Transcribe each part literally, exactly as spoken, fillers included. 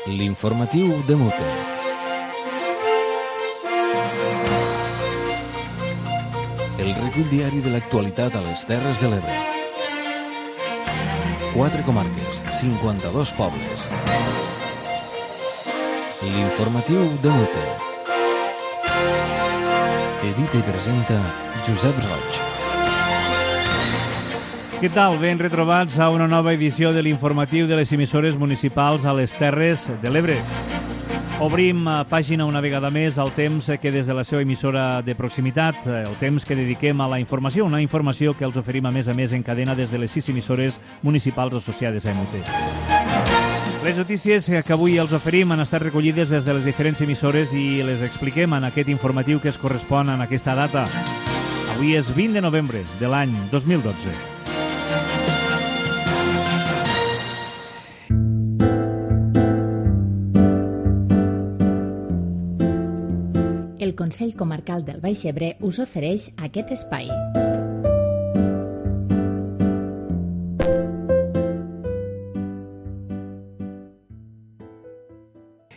L'informatiu de Mute. El recull diari de l'actualitat a les Terres de l'Ebre. Quatre comarques, cinquanta-dos pobles. L'informatiu de Mute. Edita i presenta Josep Roig. Què tal? Ben retrobats a una nova edició de l'informatiu de les emissores municipals a les Terres de l'Ebre. Obrim pàgina una vegada més al temps que des de la seva emissora de proximitat, el temps que dediquem a la informació, una informació que els oferim a més a més en cadena des de les sis emissores municipals associades a M U T. Les notícies que avui els oferim han estat recollides des de les diferents emissores i les expliquem en aquest informatiu que es correspon en aquesta data. Avui és vint de novembre de l'any dos mil dotze. El Consell Comarcal del Baix Ebre us ofereix aquest espai.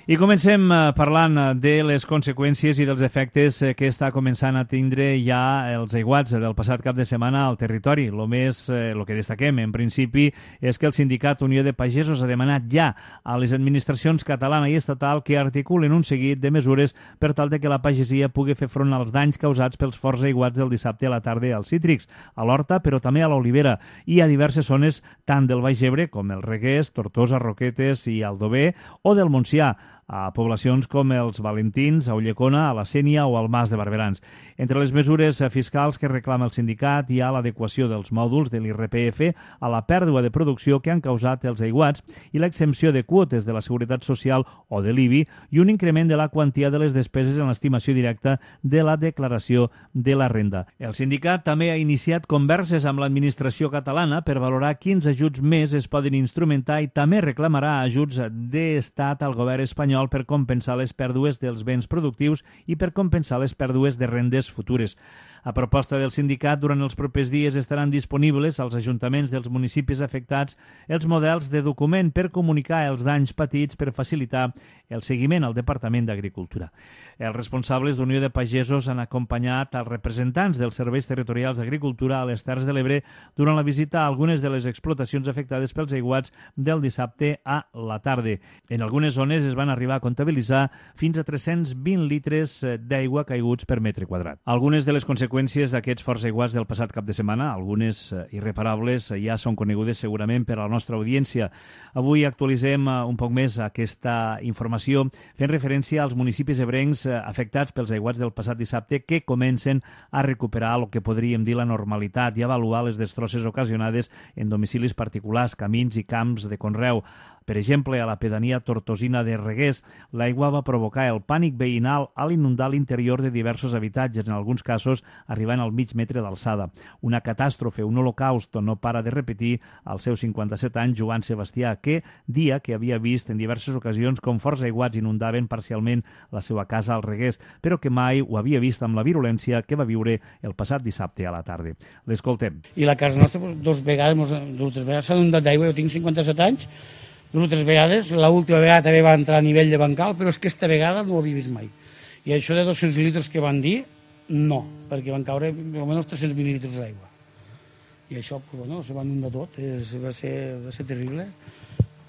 I comencem parlant de les conseqüències i dels efectes que està començant a tindre ja els aiguats del passat cap de setmana al territori. El més, el que destaquem, en principi, és que el sindicat Unió de Pagesos ha demanat ja a les administracions catalana i estatal que articulen un seguit de mesures per tal de que la pagesia pugui fer front als danys causats pels forts aiguats del dissabte a la tarda als cítrics, a l'Horta, però també a l'Olivera i a diverses zones tant del Baix Ebre com el Reguers, Tortosa, Roquetes i Aldover o del Montsià, a poblacions com els Valentins, a Ullecona, a la Sénia o al Mas de Barberans. Entre les mesures fiscals que reclama el sindicat hi ha l'adequació dels mòduls de l'I R P F a la pèrdua de producció que han causat els aiguats i l'exempció de quotes de la Seguretat Social o de l'I B I i un increment de la quantia de les despeses en l'estimació directa de la declaració de la renda. El sindicat també ha iniciat converses amb l'administració catalana per valorar quins ajuts més es poden instrumentar i també reclamarà ajuts d'estat al govern espanyol per compensar les pèrdues dels béns productius i per compensar les pèrdues de rendes futures. A proposta del sindicat, durant els propers dies estaran disponibles als ajuntaments dels municipis afectats els models de document per comunicar els danys patits per facilitar el seguiment al Departament d'Agricultura. Els responsables d'Unió de Pagesos han acompanyat els representants dels serveis territorials d'agricultura a les Terres de l'Ebre durant la visita a algunes de les explotacions afectades pels aiguats del dissabte a la tarda. En algunes zones es van arribar a comptabilitzar fins a tres-cents vint litres d'aigua caiguts per metre quadrat. Algunes de les conseqüències d'aquests forts aiguats del passat cap de setmana, algunes irreparables, ja són conegudes segurament per a la nostra audiència. Avui actualitzem un poc més aquesta informació fent referència als municipis ebrencs afectats pels aiguats del passat dissabte que comencen a recuperar el que podríem dir la normalitat i avaluar les destrosses ocasionades en domicilis particulars, camins i camps de conreu. Per exemple, a la pedania tortosina de Reguers, l'aigua va provocar el pànic veïnal a l'inundar l'interior de diversos habitatges, en alguns casos arribant al mig metre d'alçada. Una catàstrofe, un holocaust, no para de repetir als seus cinquanta-set anys Joan Sebastià, que dia que havia vist en diverses ocasions com forts aiguats inundaven parcialment la seva casa al Reguers, però que mai ho havia vist amb la virulència que va viure el passat dissabte a la tarda. L'escoltem. I la casa nostra, dos vegades, dues vegades s'ha inundat d'aigua, jo tinc cinquanta-set anys, dues o tres vegades, l'última vegada també va entrar a nivell de bancal, però és que aquesta vegada no ho havia vist mai. I això de dos-cents litres que van dir, no, perquè van caure almenys tres-cents mil·lílitres d'aigua. I això, pues, bueno, se va inundar tot, és, va, ser, va ser terrible.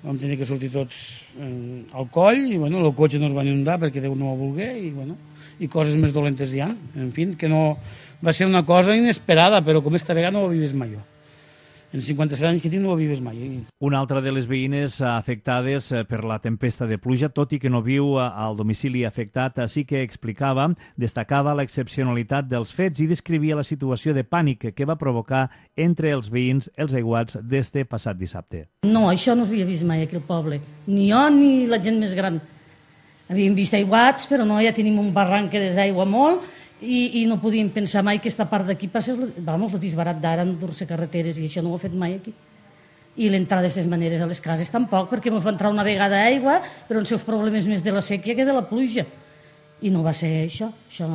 Vam tenir que sortir tots eh, al coll, i bueno, el cotxe no es va inundar perquè Déu no ho volgué, i, bueno, i coses més dolentes hi ha. En fi, que no, va ser una cosa inesperada, però com esta vegada no ho havia vist mai jo. En cinquanta-set anys que tinc no ho havia vist mai. Una altra de les veïnes afectades per la tempesta de pluja, tot i que no viu al domicili afectat, sí que explicava, destacava l'excepcionalitat dels fets i descrivia la situació de pànic que va provocar entre els veïns els aiguats d'este passat dissabte. No, això no s'havia vist mai aquí al poble. Ni jo ni la gent més gran. Havíem vist aiguats, però no, ja tenim un barranc que desaigua molt, I, i no podíem pensar mai que aquesta part d'aquí passés, vamos, el disbarat d'ara endur-se carreteres, i això no ho ha fet mai aquí. I l'entrada d'aquestes maneres a les cases tampoc, perquè ens va entrar una vegada aigua, però els seus problemes més de la sèquia que de la pluja. I no va ser això, això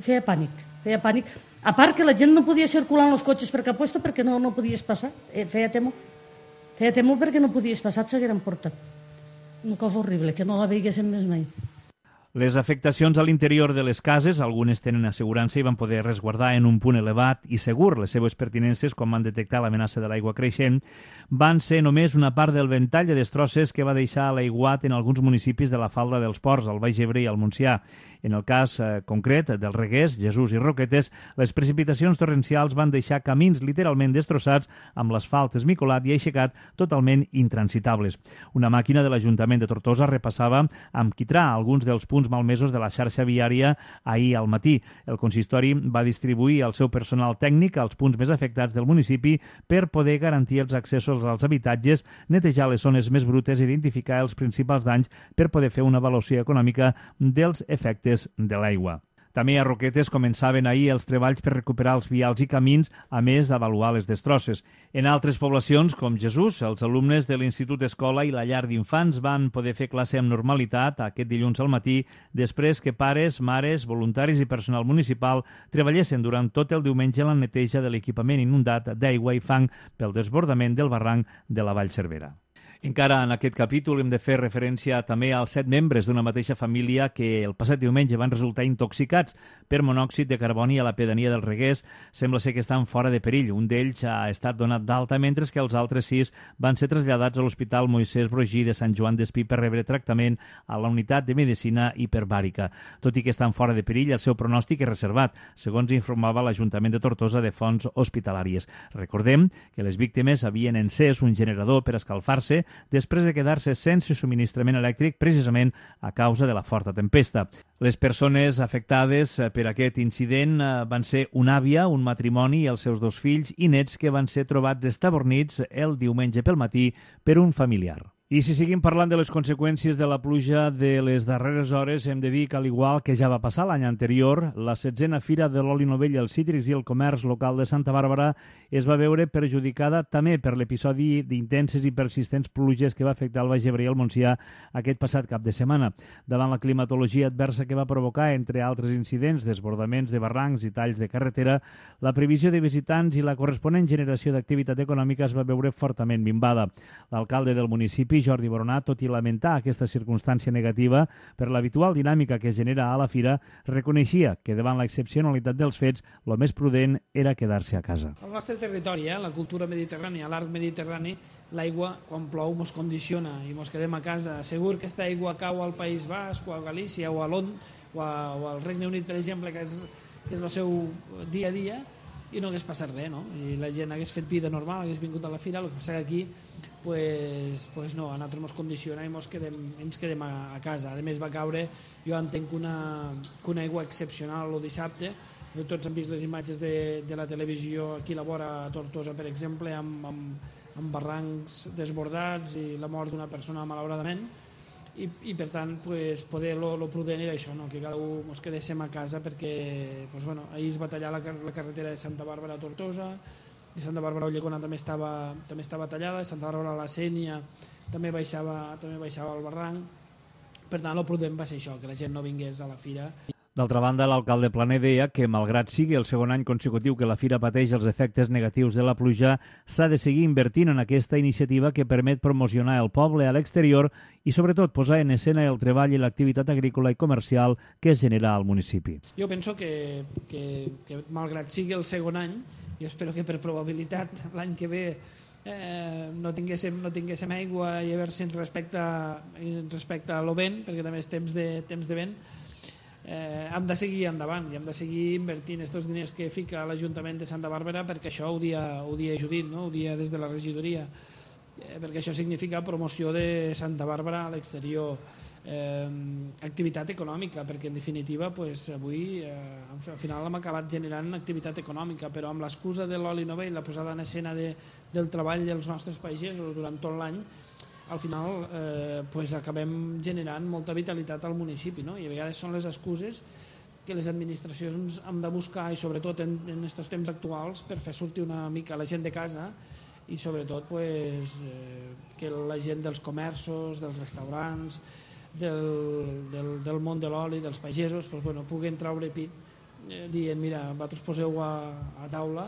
feia pànic, feia pànic. A part que la gent no podia circular en els cotxes per cap lloc perquè no, no podies passar, eh, feia temor. Feia temor perquè no podies passar, et s'hagueren portat. una cosa horrible, que no la veiguéssim més mai. Les afectacions a l'interior de les cases, algunes tenen assegurança i van poder resguardar en un punt elevat i segur les seves pertinences quan van detectar l'amenaça de l'aigua creixent, van ser només una part del ventall de destrosses que va deixar l'aiguat en alguns municipis de la falda dels Ports, al Baix Ebre i al Montsià. En el cas eh, concret del Reguers, Jesús i Roquetes, les precipitacions torrencials van deixar camins literalment destrossats amb l'asfalt esmicolat i aixecat totalment intransitables. Una màquina de l'Ajuntament de Tortosa repassava amb quitrà alguns dels punts malmesos de la xarxa viària ahir al matí. El consistori va distribuir el seu personal tècnic als punts més afectats del municipi per poder garantir els accessos als habitatges, netejar les zones més brutes i identificar els principals danys per poder fer una avaluació econòmica dels efectes de l'aigua. També a Roquetes començaven ahir els treballs per recuperar els vials i camins, a més d'avaluar les destrosses. En altres poblacions, com Jesús, els alumnes de l'Institut Escola i la llar d'infants van poder fer classe amb normalitat aquest dilluns al matí, després que pares, mares, voluntaris i personal municipal treballessin durant tot el diumenge en la neteja de l'equipament inundat d'aigua i fang pel desbordament del barranc de la Vall Cervera. Encara en aquest capítol hem de fer referència també als set membres d'una mateixa família que el passat diumenge van resultar intoxicats per monòxid de carboni a la pedania del Reguers. Sembla ser que estan fora de perill. Un d'ells ha estat donat d'alta, mentre que els altres sis van ser traslladats a l'Hospital Moisès Brogí de Sant Joan d'Espí per rebre tractament a la unitat de medicina hiperbàrica. Tot i que estan fora de perill, el seu pronòstic és reservat, segons informava l'Ajuntament de Tortosa de fonts hospitalàries. Recordem que les víctimes havien encès un generador per escalfar-se després de quedar-se sense subministrament elèctric precisament a causa de la forta tempesta. Les persones afectades per aquest incident van ser una àvia, un matrimoni i els seus dos fills i nets que van ser trobats estabornits el diumenge pel matí per un familiar. I si seguim parlant de les conseqüències de la pluja de les darreres hores, hem de dir que, al igual que ja va passar l'any anterior, la setzena Fira de l'Oli Novell, els Cítrics i el Comerç Local de Santa Bàrbara es va veure perjudicada també per l'episodi d'intenses i persistents pluges que va afectar el Baix Ebre i el Montsià aquest passat cap de setmana. Davant la climatologia adversa que va provocar, entre altres incidents, desbordaments de barrancs i talls de carretera, la previsió de visitants i la corresponent generació d'activitat econòmica es va veure fortament minvada. L'alcalde del municipi, Jordi Boronat, tot i lamentar aquesta circumstància negativa per l'habitual dinàmica que es genera a la fira, reconeixia que davant l'excepcionalitat dels fets, el més prudent era quedar-se a casa. Al nostre territori, eh, la cultura mediterrània, l'arc mediterrani, l'aigua, quan plou, ens condiciona i ens quedem a casa. Segur que aquesta aigua cau al País Basc o a Galícia o a Londres o, a, o al Regne Unit, per exemple, que és, que és el seu dia a dia, i no hagués passat res, no? I la gent hagués fet vida normal, hagués vingut a la fira. El que passa que aquí, pues, pues no, a nosaltres ens condiciona i ens quedem, ens quedem a, a casa. A més, va caure, jo entenc que una, que una aigua excepcional el dissabte. Tots han vist les imatges de, de la televisió aquí a la vora a Tortosa, per exemple, amb, amb, amb barrancs desbordats i la mort d'una persona malauradament. I, i per tant, pues, poder lo, lo prudent era això, no? Que cada un ens quedéssim a casa perquè pues, bueno, ahir es va tallar la, la carretera de Santa Bàrbara a Tortosa, de Santa Bàrbara a Ulldecona també estava, també estava tallada, de Santa Bàrbara a la Sénia també baixava, també baixava el barranc. Per tant, el prudent va ser això, que la gent no vingués a la fira. D'altra banda, l'alcalde Planer deia que, malgrat sigui el segon any consecutiu que la fira pateix els efectes negatius de la pluja, s'ha de seguir invertint en aquesta iniciativa que permet promocionar el poble a l'exterior i, sobretot, posar en escena el treball i l'activitat agrícola i comercial que es genera al municipi. Jo penso que, que, que malgrat sigui el segon any, jo espero que per probabilitat l'any que ve eh, no, tinguéssim, no tinguéssim aigua i a veure si respecte, respecte a lo vent, perquè també és temps de, temps de vent, Eh, hem de seguir endavant i hem de seguir invertint aquests diners que fica l'Ajuntament de Santa Bàrbara, perquè això ho dia, ho dia Judit, no? Ho dia des de la regidoria, eh, perquè això significa promoció de Santa Bàrbara a l'exterior, eh, activitat econòmica, perquè en definitiva pues, avui eh, al final hem acabat generant activitat econòmica, però amb l'excusa de l'oli novell, la posada en escena de, del treball dels nostres pagesos durant tot l'any, al final eh, pues acabem generant molta vitalitat al municipi, no? I a vegades són les excuses que les administracions hem de buscar, i sobretot en aquests temps actuals, per fer sortir una mica la gent de casa i sobretot pues, eh, que la gent dels comerços, dels restaurants, del, del, del món de l'oli, dels pagesos, pues, bueno, puguen traure pit eh, dient, mira, vosaltres poseu a, a taula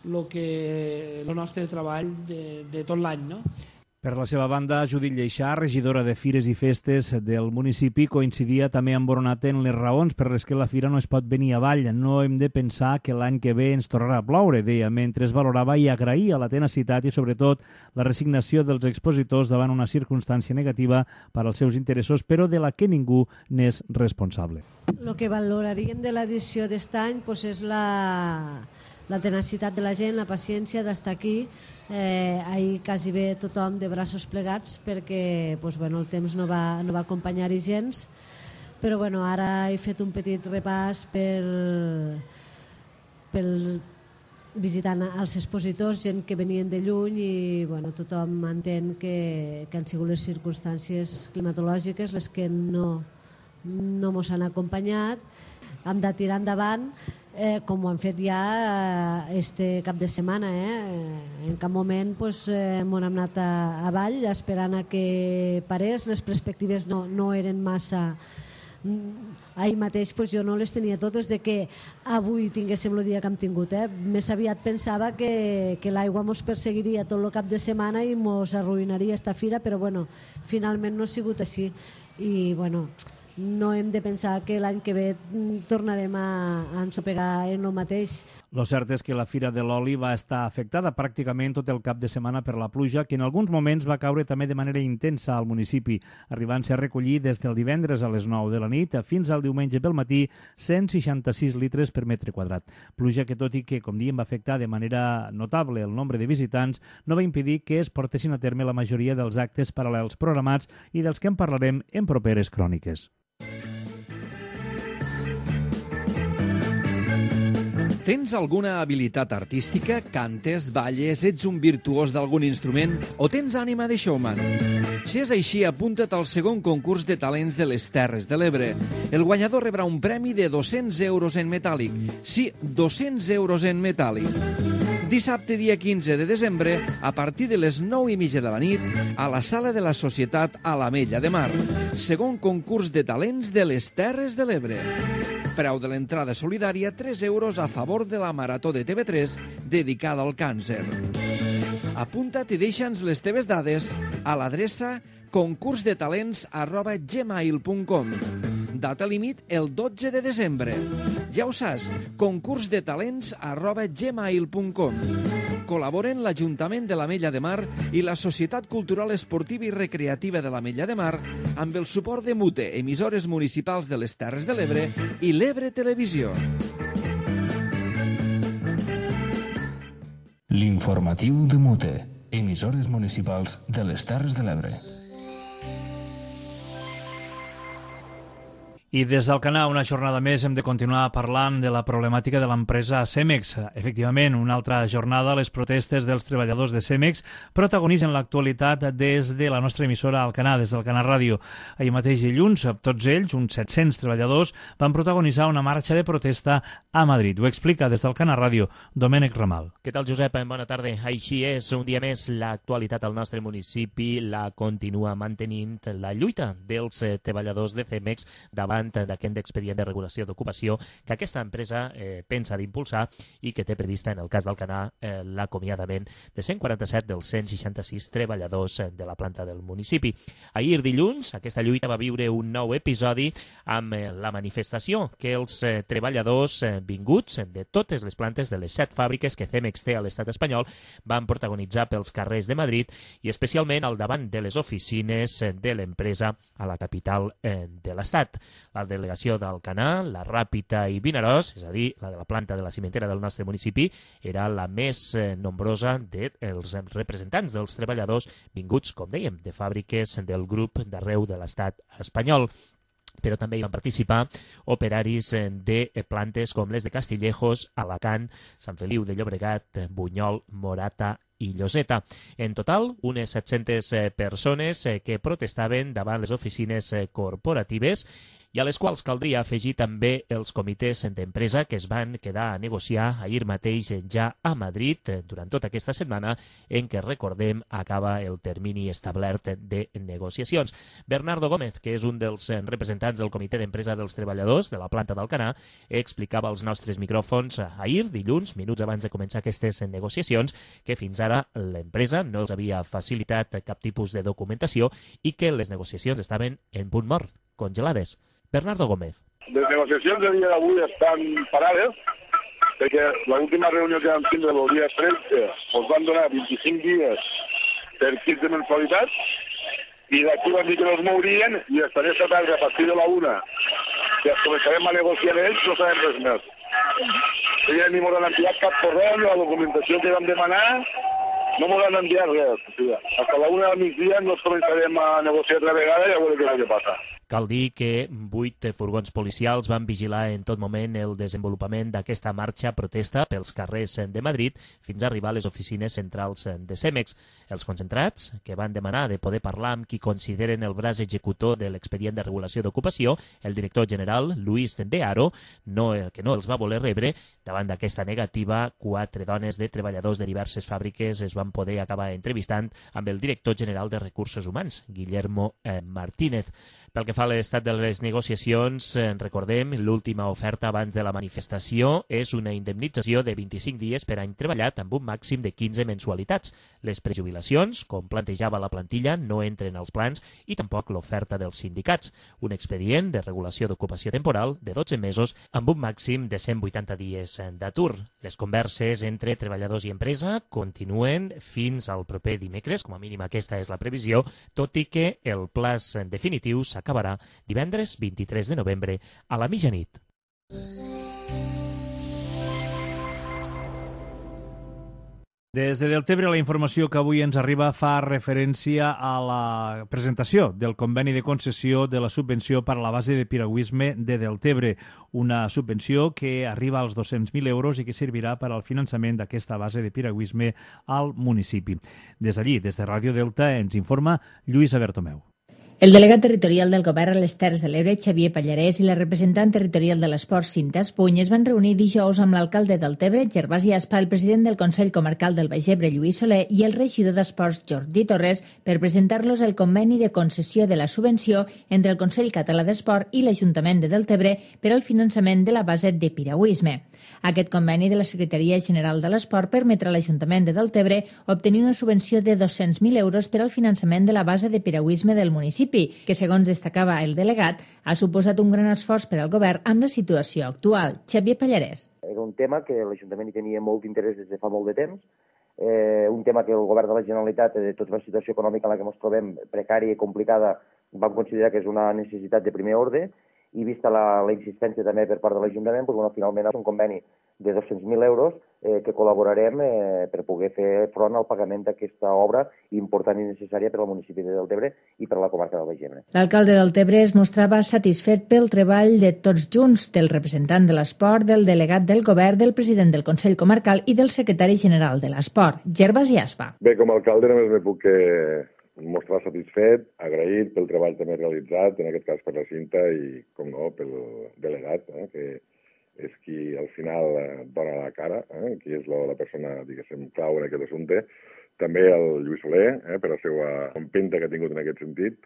lo que, el nostre treball de, de tot l'any, no? Per la seva banda, Judit Lleixà, regidora de Fires i Festes del municipi, coincidia també amb Boronat en les raons per les que la fira no es pot venir avall. No hem de pensar que l'any que ve ens tornarà a ploure, deia, mentre es valorava i agraïa la tenacitat i, sobretot, la resignació dels expositors davant una circumstància negativa per als seus interessos, però de la que ningú n'és responsable. El que valoraríem de l'edició d'est any pues, és la, la tenacitat de la gent, la paciència d'estar aquí. Eh, ahir quasi bé tothom de braços plegats perquè pues, bueno, el temps no va, no va acompanyar-hi gens, però bueno, ara he fet un petit repàs per, per visitant els expositors, gent que venien de lluny i bueno, tothom entén que, que han sigut les circumstàncies climatològiques les que no, no mos han acompanyat. Hem de tirar endavant eh, com ho han fet ja eh, este cap de setmana. Eh? En cap moment pues, eh, m'ho hem anat a, a Vall esperant a que parés. Les perspectives no, no eren massa... Ahir mateix pues, jo no les tenia totes de que avui tinguéssim el dia que hem tingut. Eh? Més aviat pensava que, que l'aigua mos perseguiria tot el cap de setmana i mos arruïnaria esta fira, però bueno, finalment no ha sigut així. I bueno... no hem de pensar que l'any que ve tornarem a, a ensopegar en el mateix. Lo cert és que la Fira de l'Oli va estar afectada pràcticament tot el cap de setmana per la pluja, que en alguns moments va caure també de manera intensa al municipi, arribant-se a recollir des del divendres a les nou de la nit fins al diumenge pel matí cent seixanta-sis litres per metre quadrat. Pluja que, tot i que, com diem, va afectar de manera notable el nombre de visitants, no va impedir que es portessin a terme la majoria dels actes paral·lels programats i dels que en parlarem en properes cròniques. Tens alguna habilitat artística? Cantes, balles, ets un virtuós d'algun instrument o tens ànima de showman? Si és així, apunta't al segon concurs de talents de les Terres de l'Ebre. El guanyador rebrà un premi de dos-cents euros en metàl·lic. Sí, dos-cents euros en metàl·lic. Dissabte, dia quinze de desembre, a partir de les nou i mitja de la nit, a la sala de la Societat a l'Ametlla de Mar. Segon concurs de talents de les Terres de l'Ebre. Preu de l'entrada solidària, tres euros a favor de la Marató de T V tres dedicada al càncer. Apunta't i deixa'ns les teves dades a l'adreça concursdetalents arroba gmail punt com. Data límit el dotze de desembre. Ja ho saps, concursdetalents arroba gmail punt com. Col·laboren l'Ajuntament de l'Ametlla de Mar i la Societat Cultural Esportiva i Recreativa de l'Ametlla de Mar amb el suport de Mute, emissores municipals de les Terres de l'Ebre i l'Ebre Televisió. L'informatiu de Mute, emissores municipals de les Terres de l'Ebre. I des d'Alcanar, una jornada més, hem de continuar parlant de la problemàtica de l'empresa Cemex. Efectivament, una altra jornada, les protestes dels treballadors de Cemex protagonitzen l'actualitat des de la nostra emissora Alcanar, des d'Alcanar Ràdio. Ahir mateix dilluns, tots ells, uns set-cents treballadors, van protagonitzar una marxa de protesta a Madrid. Ho explica des d'Alcanar Ràdio Domènec Ramal. Què tal, Josep? Bona tarda. Així és, un dia més, l'actualitat al nostre municipi la continua mantenint la lluita dels treballadors de Cemex davant d'aquest expedient de regulació d'ocupació que aquesta empresa eh, pensa d'impulsar i que té prevista, en el cas d'Alcanar, eh, l'acomiadament de cent quaranta-set dels cent seixanta-sis treballadors eh, de la planta del municipi. Ahir dilluns, aquesta lluita va viure un nou episodi amb eh, la manifestació que els eh, treballadors eh, vinguts de totes les plantes de les set fàbriques que Cemex té a l'estat espanyol van protagonitzar pels carrers de Madrid i especialment al davant de les oficines eh, de l'empresa a la capital eh, de l'estat. La delegació d'Alcanar, la Ràpita i Vinaròs, és a dir, la de la planta de la cimentera del nostre municipi, era la més eh, nombrosa dels representants dels treballadors vinguts, com dèiem, de fàbriques del grup d'arreu de l'estat espanyol. Però també hi van participar operaris de plantes com les de Castillejos, Alacant, Sant Feliu de Llobregat, Bunyol, Morata i Lloseta. En total, unes set-centes persones que protestaven davant les oficines corporatives i a les quals caldria afegir també els comitès d'empresa que es van quedar a negociar ahir mateix ja a Madrid durant tota aquesta setmana en què, recordem, acaba el termini establert de negociacions. Bernardo Gómez, que és un dels representants del comitè d'empresa dels treballadors de la planta d'Alcanar, explicava als nostres micròfons ahir, dilluns, minuts abans de començar aquestes negociacions, que fins ara l'empresa no els havia facilitat cap tipus de documentació i que les negociacions estaven en punt mort, congelades. Bernardo Gómez. Les negociacions del dia d'avui estan parades perquè l'última reunió que vam tindre el dia tretze ens van donar vint-i-cinc dies per quinze mensualitats i d'aquí van dir que no es mourien i estaré esta tarda a partir de la una que es començarem a negociar amb ells, no sabem res més. Ells ni m'ho han enviat cap correu, la documentació que vam demanar, no m'ho han enviat res. O sigui, hasta la una del migdia no començarem a negociar altra vegada i a veure què és el que passa. Cal dir que vuit furgons policials van vigilar en tot moment el desenvolupament d'aquesta marxa protesta pels carrers de Madrid fins a arribar a les oficines centrals de Cemex. Els concentrats, que van demanar de poder parlar amb qui consideren el braç executor de l'expedient de regulació d'ocupació, el director general, Luis de Haro, no, que no els va voler rebre. Davant d'aquesta negativa, quatre dones de treballadors de diverses fàbriques es van poder acabar entrevistant amb el director general de Recursos Humans, Guillermo eh, Martínez. Pel que fa a l'estat de les negociacions, eh, recordem, l'última oferta abans de la manifestació és una indemnització de vint-i-cinc dies per any treballat amb un màxim de quinze mensualitats. Les prejubilacions, com plantejava la plantilla, no entren als plans i tampoc l'oferta dels sindicats. Un expedient de regulació d'ocupació temporal de dotze mesos amb un màxim de cent vuitanta dies d'atur. Les converses entre treballadors i empresa continuen fins al proper dimecres, com a mínim aquesta és la previsió, tot i que el plaç definitiu s'acabarà divendres vint-i-tres de novembre a la mitjanit. Des de Deltebre, la informació que avui ens arriba fa referència a la presentació del conveni de concessió de la subvenció per a la base de piragüisme de Deltebre, una subvenció que arriba als dos-cents mil euros i que servirà per al finançament d'aquesta base de piragüisme al municipi. Des d'allí, des de Ràdio Delta, ens informa Lluïsa Bertomeu. El delegat territorial del Govern a les Terres de l'Ebre, Xavier Pallarès, i la representant territorial de l'esport, Cinta Espuny, es van reunir dijous amb l'alcalde del Tebre, Gervasi Aspa, el president del Consell Comarcal del Baix Ebre, Lluís Soler, i el regidor d'Esports, Jordi Torres, per presentar-los el conveni de concessió de la subvenció entre el Consell Català d'Esport i l'Ajuntament de Deltebre per al finançament de la base de piragüisme. Aquest conveni de la Secretaria General de l'Esport permetrà a l'Ajuntament de Deltebre obtenir una subvenció de dos-cents mil euros per al finançament de la base de piragüisme del municipi, que, segons destacava el delegat, ha suposat un gran esforç per al govern amb la situació actual. Xavier Pallarès. Era un tema que l'Ajuntament hi tenia molt d'interès des de fa molt de temps, eh, un tema que el govern de la Generalitat, de tota la situació econòmica en la que ens trobem, precària i complicada, vam considerar que és una necessitat de primer ordre, i vista la, la insistència també per part de l'Ajuntament, doncs, bueno, finalment és un conveni de dos-cents mil euros eh, que col·laborarem eh, per poder fer front al pagament d'aquesta obra important i necessària per al municipi de Deltebre i per a la comarca del Baix Ebre. L'alcalde del Tebre es mostrava satisfet pel treball de tots junts, del representant de l'esport, del delegat del govern, del president del Consell Comarcal i del secretari general de l'esport, Gervasi Aspa. Bé, com a alcalde només me puc eh, mostrar satisfet, agraït pel treball també realitzat, en aquest cas per la Cinta i, com no, pel delegat, eh, que és qui al final eh, dona la cara, eh, qui és la, la persona, diguéssim, clau en aquest assumpte. També el Lluís Soler, eh, per la seva empenta que ha tingut en aquest sentit.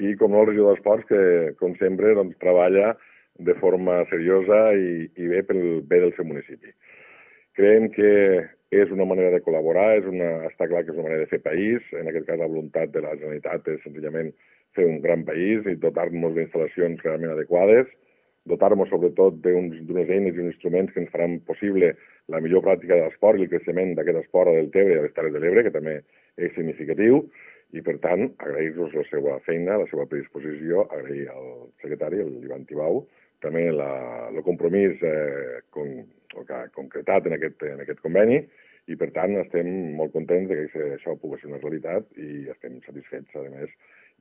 I, com no, el regidor d'Esports, que, com sempre, doncs, treballa de forma seriosa i, i bé pel bé del seu municipi. Creiem que és una manera de col·laborar, és una, està clar que és una manera de fer país. En aquest cas, la voluntat de la Generalitat és senzillament fer un gran país i dotar-nos d'instal·lacions realment adequades, dotar-nos sobretot d'unes eines i uns instruments que ens faran possible la millor pràctica de l'esport i el creixement d'aquest esport a Deltebre i a les Terres de l'Ebre, que també és significatiu, i per tant agrair-los la seva feina, la seva predisposició, agrair al secretari, l'Ivan Tibau, també la, el compromís eh, con, que ha concretat en aquest, en aquest conveni, i per tant estem molt contents que això pugui ser una realitat i estem satisfets, a més,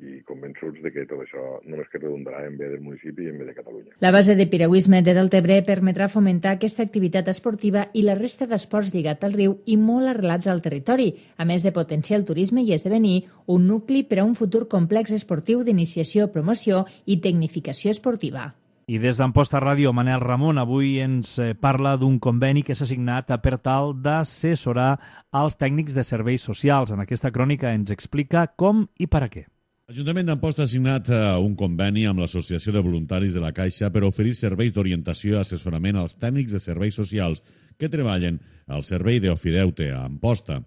i convençuts de que tot això només que redundarà en bé del municipi i en bé de Catalunya. La base de piragüisme de Deltebre permetrà fomentar aquesta activitat esportiva i la resta d'esports lligat al riu i molt arrelats al territori, a més de potenciar el turisme i esdevenir un nucli per a un futur complex esportiu d'iniciació, promoció i tecnificació esportiva. I des d'Amposta Ràdio, Manel Ramon avui ens parla d'un conveni que s'ha signat per tal d'assessorar als tècnics de serveis socials. En aquesta crònica ens explica com i per a què. L'Ajuntament d'Amposta ha signat un conveni amb l'Associació de Voluntaris de la Caixa per oferir serveis d'orientació i assessorament als tècnics de serveis socials que treballen al servei d'Ofideute a Amposta.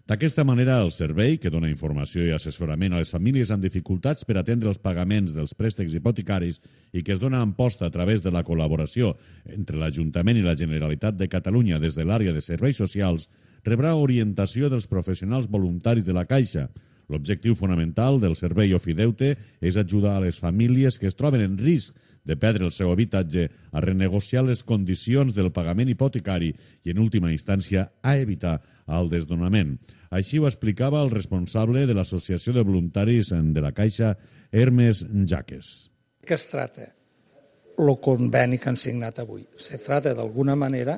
D'aquesta manera, el servei, que dona informació i assessorament a les famílies amb dificultats per atendre els pagaments dels préstecs hipotecaris i que es dona a Amposta a través de la col·laboració entre l'Ajuntament i la Generalitat de Catalunya des de l'àrea de serveis socials, rebrà orientació dels professionals voluntaris de la Caixa. L'objectiu fonamental del servei Ofideute és ajudar a les famílies que es troben en risc de perdre el seu habitatge a renegociar les condicions del pagament hipotecari i, en última instància, a evitar el desnonament. Així ho explicava el responsable de l'Associació de Voluntaris de la Caixa, Hermes Jaques. Què es tracta? El conveni que han signat avui. Se tracta d'alguna manera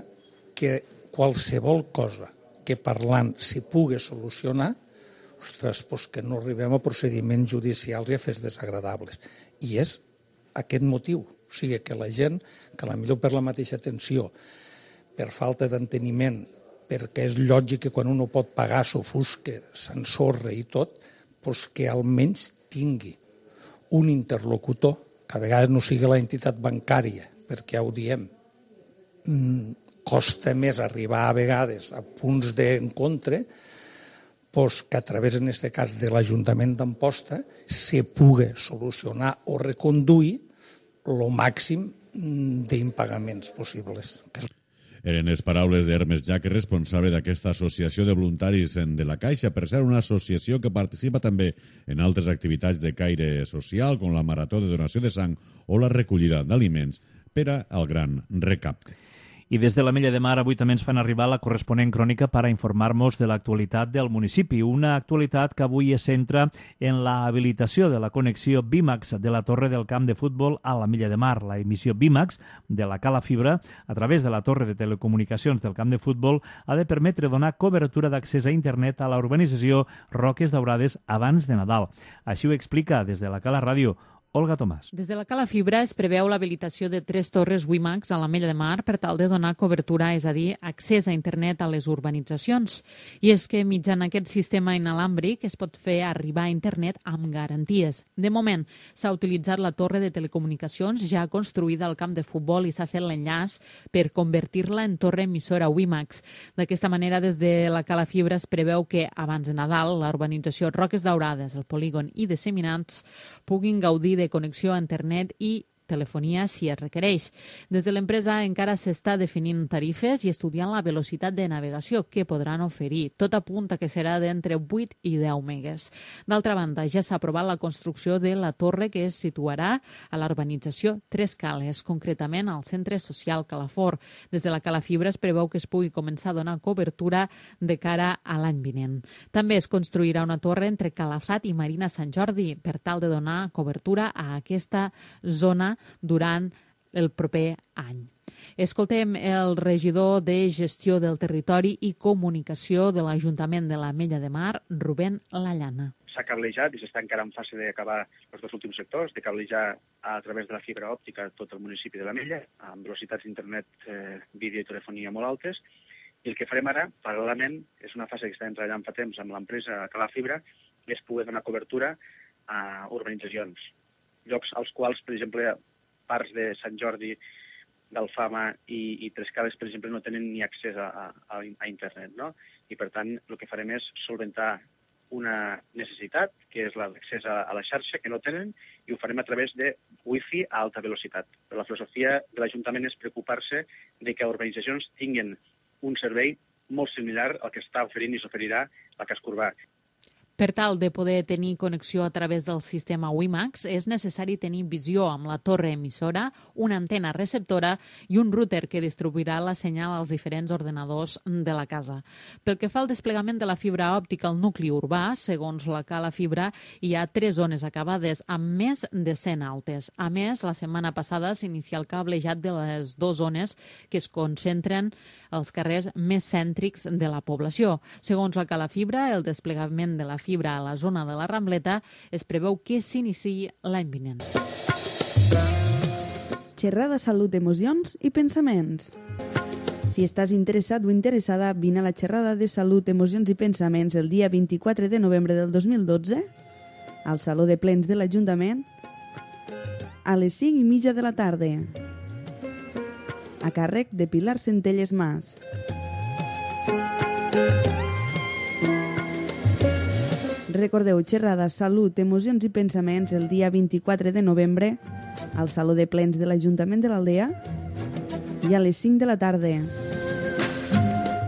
que qualsevol cosa que parlant s'hi pugui solucionar, ostres, doncs que no arribem a procediments judicials i a fets desagradables. I és aquest motiu. O sigui, que la gent, que potser per la mateixa tensió, per falta d'enteniment, perquè és lògic que quan un no pot pagar s'ofusque, s'ensorra i tot, doncs que almenys tingui un interlocutor, que a vegades no sigui la entitat bancària, perquè ja ho diem, costa més arribar a vegades a punts d'encontre, doncs que a través, en aquest cas, de l'Ajuntament d'Amposta se pugui solucionar o reconduir el màxim d'impagaments possibles. Eren les paraules d'Hermes Jaques, responsable d'aquesta associació de voluntaris de la Caixa, per ser una associació que participa també en altres activitats de caire social, com la marató de donació de sang o la recollida d'aliments per al gran recapte. I des de l'Ametlla de Mar avui també ens fan arribar la corresponent crònica per a informar-nos de l'actualitat del municipi. Una actualitat que avui es centra en la habilitació de la connexió Bimax de la torre del camp de futbol a l'Ametlla de Mar. La emissió Bimax de la cala fibra a través de la torre de telecomunicacions del camp de futbol ha de permetre donar cobertura d'accés a internet a la urbanització Roques Daurades abans de Nadal. Així ho explica des de la Cala Ràdio Olga Tomàs. Des de la Cala Fibra es preveu l'habilitació de tres torres WiMAX a l'Ametlla de Mar per tal de donar cobertura, és a dir, accés a internet a les urbanitzacions. I és que mitjan aquest sistema inalàmbric es pot fer arribar a internet amb garanties. De moment, s'ha utilitzat la torre de telecomunicacions ja construïda al camp de futbol i s'ha fet l'enllaç per convertir-la en torre emissora WiMAX. D'aquesta manera, des de la Cala Fibra es preveu que, abans de Nadal, la urbanització Roques Daurades, el polígon i disseminats puguin gaudir de connexió a internet i telefonia si es requereix. Des de l'empresa encara s'està definint tarifes i estudiant la velocitat de navegació que podran oferir. Tot apunta que serà d'entre vuit i deu megues. D'altra banda, ja s'ha aprovat la construcció de la torre que es situarà a l'urbanització Tres Cales, concretament al centre social Calafort. Des de la Cala Fibra es preveu que es pugui començar a donar cobertura de cara a l'any vinent. També es construirà una torre entre Calafat i Marina Sant Jordi per tal de donar cobertura a aquesta zona durant el proper any. Escoltem el regidor de Gestió del Territori i Comunicació de l'Ajuntament de l'Ametlla de Mar, Rubén Lallana. S'ha cablejat i s'està encara en fase d'acabar els dos últims sectors, de cablejar a través de la fibra òptica tot el municipi de l'Ametlla, amb velocitats d'internet, eh, vídeo i telefonia molt altes. I el que farem ara, paral·lelament, és una fase que estem treballant fa temps amb l'empresa Cala Fibra, és poder donar cobertura a urbanitzacions, llocs als quals, per exemple, parts de Sant Jordi, d'Alfama i, i Tres Cales, per exemple, no tenen ni accés a, a, a internet, no? I, per tant, el que farem és solventar una necessitat, que és l'accés a, a la xarxa, que no tenen, i ho farem a través de wifi a alta velocitat. Però la filosofia de l'Ajuntament és preocupar-se de que urbanitzacions tinguin un servei molt similar al que està oferint i s'oferirà la Casc Urbà. Per tal de poder tenir connexió a través del sistema WiMAX, és necessari tenir visió amb la torre emissora, una antena receptora i un router que distribuirà la senyal als diferents ordenadors de la casa. Pel que fa al desplegament de la fibra òptica al nucli urbà, segons la Cala Fibra, hi ha tres zones acabades amb més de cent altes. A més, la setmana passada s'inicia el cablejat de les dues zones que es concentren als carrers més cèntrics de la població. Segons la Cala Fibra, el desplegament de la fibra a la zona de la Rambleta es preveu que s'iniciï l'any vinent. Xerrada, salut, emocions i pensaments. Si estàs interessat o interessada, vine a la xerrada de salut, emocions i pensaments el dia vint-i-quatre de novembre del dos mil dotze al Saló de Plens de l'Ajuntament a les cinc i mitja de la tarda, a càrrec de Pilar Centelles Mas. Recordeu, xerrada, salut, emocions i pensaments el dia vint-i-quatre de novembre al Saló de Plens de l'Ajuntament de l'Aldea i a les cinc de la tarda,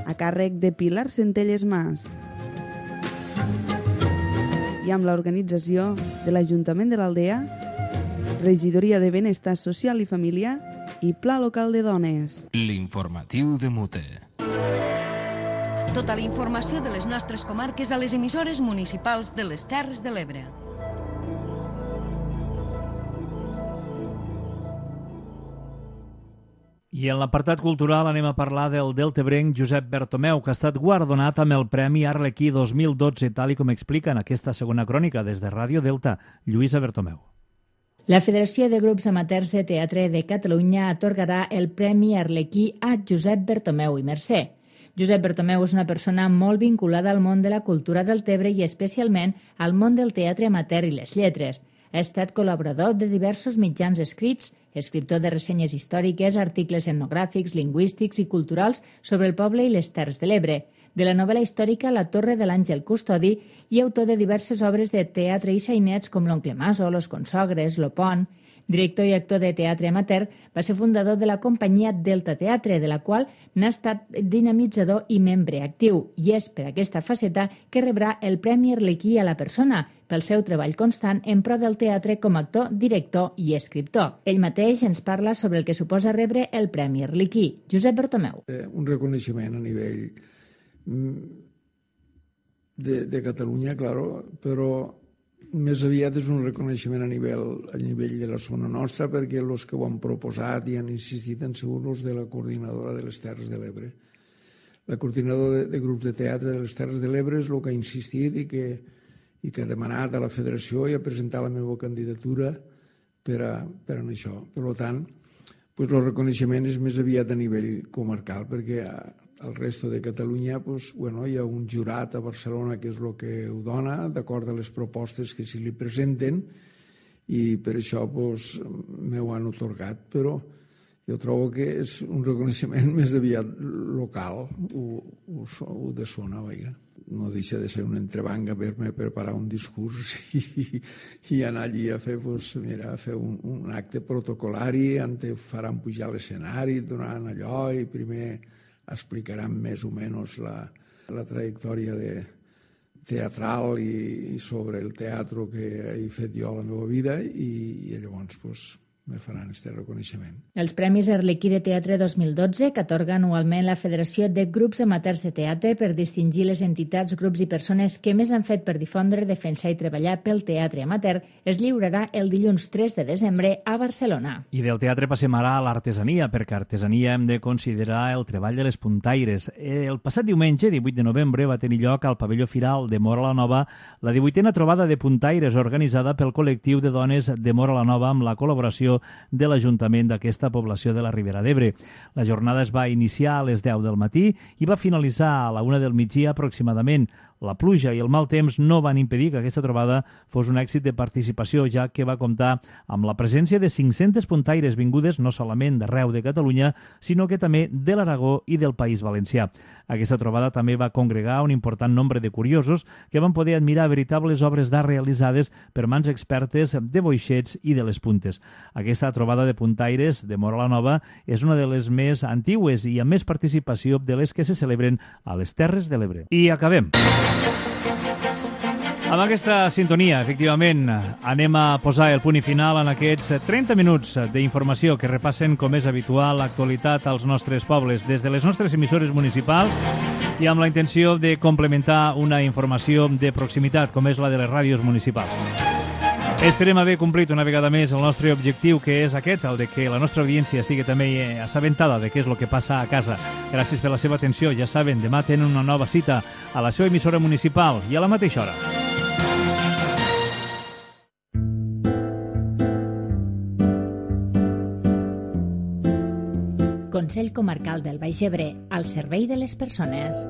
a càrrec de Pilar Centelles Mas i amb l'organització de l'Ajuntament de l'Aldea, Regidoria de Benestar Social i Família i Pla Local de Dones. L'informatiu de Mute. Tota la informació de les nostres comarques a les emissores municipals de les Terres de l'Ebre. I en l'apartat cultural anem a parlar del deltebrenc Josep Bertomeu, que ha estat guardonat amb el Premi Arlequí dos mil dotze, tal i com explica en aquesta segona crònica des de Ràdio Delta, Lluïsa Bertomeu. La Federació de Grups Amateurs de Teatre de Catalunya atorgarà el Premi Arlequí a Josep Bertomeu i Mercè. Josep Bertomeu és una persona molt vinculada al món de la cultura del Tebre i especialment al món del teatre amateur i les lletres. Ha estat col·laborador de diversos mitjans escrits, escriptor de ressenyes històriques, articles etnogràfics, lingüístics i culturals sobre el poble i les Terres de l'Ebre, de la novel·la històrica La Torre de l'Àngel Custodi i autor de diverses obres de teatre i sainets com L'Oncle Maso, Los Consogres, Lo Pont. Director i actor de teatre amateur, va ser fundador de la companyia Delta Teatre, de la qual n'ha estat dinamitzador i membre actiu, i és per aquesta faceta que rebrà el Premi Arlequí a la persona, pel seu treball constant en pro del teatre com a actor, director i escriptor. Ell mateix ens parla sobre el que suposa rebre el Premi Arlequí. Josep Bertomeu. Eh, un reconeixement a nivell de, de Catalunya, claro, però més aviat és un reconeixement a nivell, a nivell de la zona nostra, perquè els que ho han proposat i han insistit han sigut els de la coordinadora de les Terres de l'Ebre. La coordinadora de, de grups de teatre de les Terres de l'Ebre és el que ha insistit i que, i que ha demanat a la federació i ha presentat la meva candidatura per a, per a això. Per tant, pues, el reconeixement és més aviat a nivell comarcal, perquè al resto de Catalunya pues, bueno, hi ha un jurat a Barcelona que és el que ho dona, d'acord a les propostes que s'hi li presenten, i per això pues, m'ho han otorgat, però jo trobo que és un reconeixement més aviat local, o, o, o de zona, vaja. No deixa de ser un entrebanc haver-me preparar un discurs i, i anar allí a fer, pues, mira, a fer un, un acte protocolari, on te faran pujar a l'escenari, donaran allò i primer explicaran més o menys la, la trajectòria de, teatral i, i sobre el teatre que he fet jo a la meva vida i, i llavors pues, me faran aquest reconeixement. Els Premis Arlequí de Teatre dos mil dotze, que atorga anualment la Federació de Grups Amateurs de Teatre per distingir les entitats, grups i persones que més han fet per difondre, defensar i treballar pel teatre amateur, es lliurarà el dilluns tres de desembre a Barcelona. I del teatre passem ara a l'artesania, perquè artesania hem de considerar el treball de les puntaires. El passat diumenge, divuit de novembre, va tenir lloc al pavelló Firal de Móra la Nova la divuitena trobada de puntaires organitzada pel col·lectiu de dones de Móra la Nova amb la col·laboració de l'Ajuntament d'aquesta població de la Ribera d'Ebre. La jornada es va iniciar a les deu del matí i va finalitzar a la una del migdia aproximadament. La pluja i el mal temps no van impedir que aquesta trobada fos un èxit de participació, ja que va comptar amb la presència de cinc-centes puntaires vingudes no solament d'arreu de Catalunya, sinó que també de l'Aragó i del País Valencià. Aquesta trobada també va congregar un important nombre de curiosos que van poder admirar veritables obres d'art realitzades per mans expertes de boixets i de les puntes. Aquesta trobada de puntaires de Móra la Nova és una de les més antigues i amb més participació de les que se celebren a les Terres de l'Ebre. I acabem. Amb aquesta sintonia, efectivament, anem a posar el punt i final en aquests trenta minuts d'informació que repassen, com és habitual, l'actualitat als nostres pobles des de les nostres emissores municipals i amb la intenció de complementar una informació de proximitat, com és la de les ràdios municipals. Esperem haver complit una vegada més el nostre objectiu, que és aquest, el de que la nostra audiència estigui també assabentada de què és el que passa a casa. Gràcies per la seva atenció. Ja saben, demà tenen una nova cita a la seva emissora municipal i a la mateixa hora. Consell Comarcal del Baix Ebre, al servei de les persones.